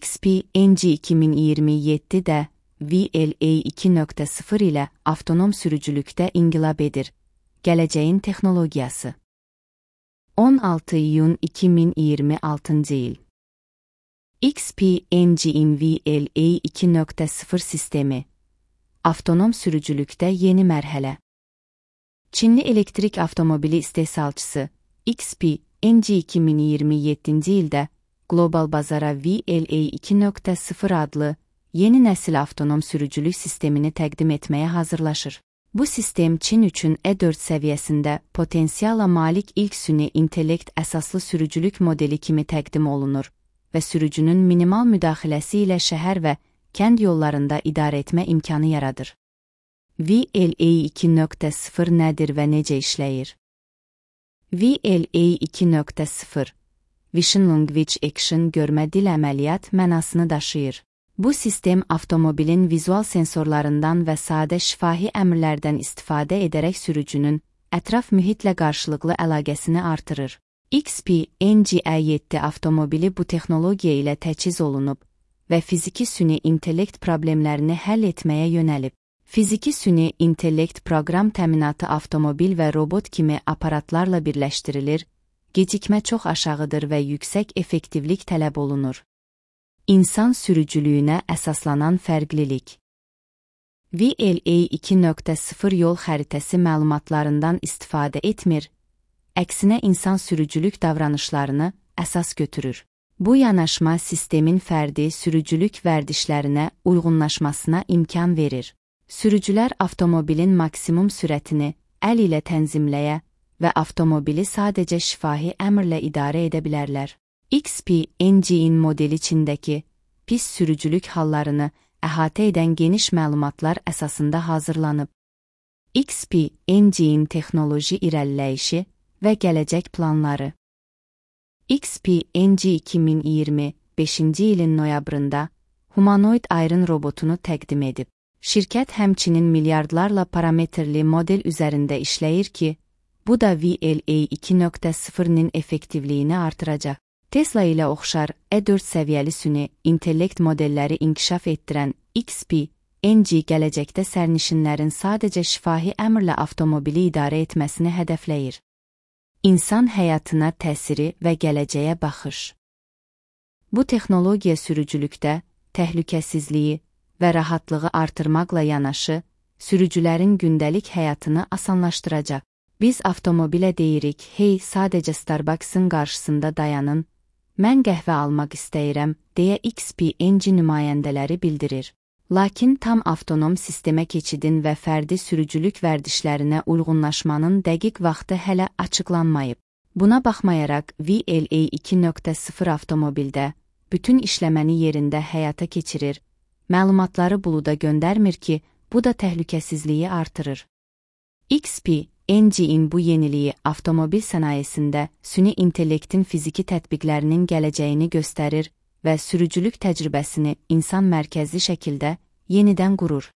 XP-NG 2027-də VLA 2.0 ilə avtonom sürücülükdə inqilab edir. Gələcəyin texnologiyası. 16 iyun 2026 il. XP-NG'in VLA 2.0 sistemi. Avtonom sürücülükdə yeni mərhələ. Çinli elektrik avtomobili istehsalçısı XP-NG 2027-ci ildə qlobal bazara VLA 2.0 adlı yeni nəsil avtonom sürücülük sistemini təqdim etməyə hazırlaşır. Bu sistem Çin üçün E4 səviyyəsində potensiala malik ilk süni intellekt əsaslı sürücülük modeli kimi təqdim olunur və sürücünün minimal müdaxiləsi ilə şəhər və kənd yollarında idarə etmə imkanı yaradır. VLA 2.0 nədir və necə işləyir? VLA 2.0 Vision Language Action görmə dil əməliyyat mənasını daşıyır. Bu sistem avtomobilin vizual sensorlarından və sadə şifahi əmrlərdən istifadə edərək sürücünün ətraf mühitlə qarşılıqlı əlaqəsini artırır. XP-NG-E7 avtomobili bu texnologiya ilə təchiz olunub və fiziki süni intellekt problemlərini həll etməyə yönəlib. Fiziki süni intellekt proqram təminatı avtomobil və robot kimi aparatlarla birləşdirilir, gecikmə çox aşağıdır və yüksək effektivlik tələb olunur. İnsan sürücülüyünə əsaslanan fərqlilik. VLA 2.0 yol xəritəsi məlumatlarından istifadə etmir, əksinə insan sürücülük davranışlarını əsas götürür. Bu yanaşma sistemin fərdi sürücülük vərdişlərinə uyğunlaşmasına imkan verir. Sürücülər avtomobilin maksimum sürətini əl ilə tənzimləyə və avtomobili sadəcə şifahi əmrlə idarə edə bilərlər. XP-NG'in modeli Çindəki pis sürücülük hallarını əhatə edən geniş məlumatlar əsasında hazırlanıb. XP-NG'in texnoloji irəliləyişi və gələcək planları. XP-NG 2025-ci ilin noyabrında humanoid Iron robotunu təqdim edib. Şirkət həmçinin milyardlarla parametrli model üzərində işləyir ki, bu da VLA 2.0-nin effektivliyini artıracaq. Tesla ilə oxşar E4 səviyyəli süni intellekt modelləri inkişaf etdirən XP-NG gələcəkdə sərnişinlərin sadəcə şifahi əmrlə avtomobili idarə etməsini hədəfləyir. İnsan həyatına təsiri və gələcəyə baxış. Bu texnologiya sürücülükdə təhlükəsizliyi və rahatlığı artırmaqla yanaşı, sürücülərin gündəlik həyatını asanlaşdıracaq. Biz avtomobilə deyirik, hey, sadəcə Starbucks'ın qarşısında dayanın, mən qəhvə almaq istəyirəm, deyə XP-NG nümayəndələri bildirir. Lakin tam avtonom sistemə keçidin və fərdi sürücülük vərdişlərinə uyğunlaşmanın dəqiq vaxtı hələ açıqlanmayıb. Buna baxmayaraq, VLA 2.0 avtomobildə bütün işləməni yerində həyata keçirir, məlumatları buluda göndərmir ki, bu da təhlükəsizliyi artırır. XP-NG'in bu yeniliyi avtomobil sənayesində süni intellektin fiziki tətbiqlərinin gələcəyini göstərir və sürücülük təcrübəsini insan mərkəzli şəkildə yenidən qurur.